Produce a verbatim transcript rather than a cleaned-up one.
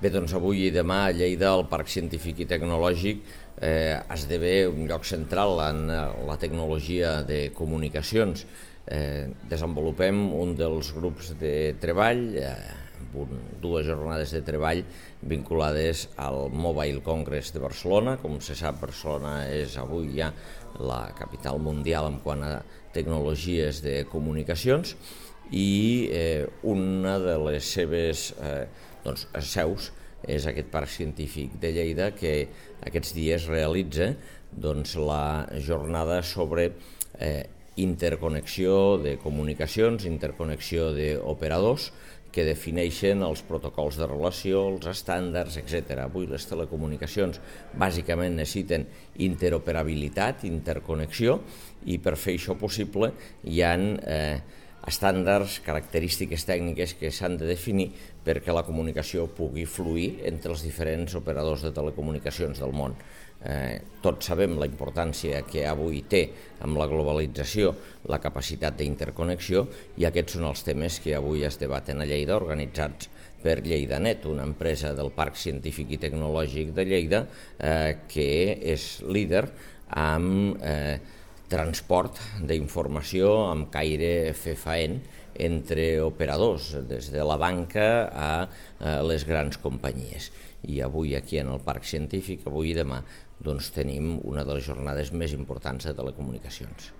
Bé, doncs avui i demà a Lleida el Parc Científic i Tecnològic eh, esdevé un lloc central en la tecnologia de comunicacions. Eh, desenvolupem un dels grups de treball, eh, amb un, dues jornades de treball vinculades al Mobile Congress de Barcelona. Com se sap, Barcelona és avui ja la capital mundial en quant a tecnologies de comunicacions i eh, una de les seves eh, doncs, seus és aquest Parc Científic de Lleida, que aquests dies realitza doncs, la jornada sobre eh, interconnexió de comunicacions, interconnexió d'operadors que defineixen els protocols de relació, els estàndards, etcètera. Avui les telecomunicacions bàsicament necessiten interoperabilitat, interconnexió, i per fer això possible hi ha eh, estàndards, característiques tècniques que s'han de definir perquè la comunicació pugui fluir entre els diferents operadors de telecomunicacions del món. Eh, tots sabem la importància que avui té amb la globalització la capacitat d'interconnexió, i aquests són els temes que avui es debaten a Lleida, organitzats per LleidaNet, una empresa del Parc Científic i Tecnològic de Lleida eh, que és líder amb eh, transport d'informació amb caire fefaent entre operadors, des de la banca a les grans companyies. I avui aquí en el Parc Científic, avui i demà, doncs tenim una de les jornades més importants de telecomunicacions.